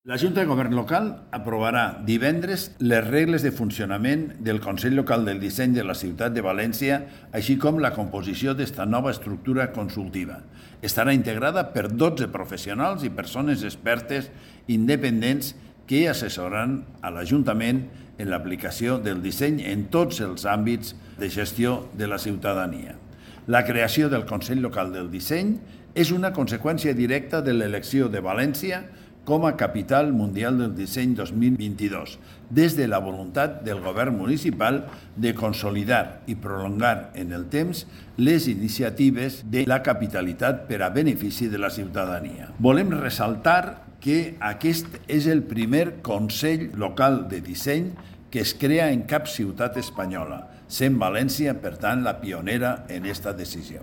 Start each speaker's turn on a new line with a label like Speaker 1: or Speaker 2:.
Speaker 1: La Junta de Govern Local aprovarà divendres les regles de funcionament del Consell Local del Disseny de la Ciutat de València, així com la composició d'esta nova estructura consultiva. Estarà integrada per 12 professionals i persones expertes independents que assessoraran a l'Ajuntament en l'aplicació del disseny en tots els àmbits de gestió de la ciutadania. La creació del Consell Local del Disseny és una conseqüència directa de l'elecció de València com a capital mundial del disseny 2022, des de la voluntat del govern municipal de consolidar i prolongar en el temps les iniciatives de la capitalitat per a benefici de la ciutadania. Volem ressaltar que aquest és el primer Consell Local de Disseny que es crea en cap ciutat espanyola, sent València, per tant, la pionera en aquesta decisió.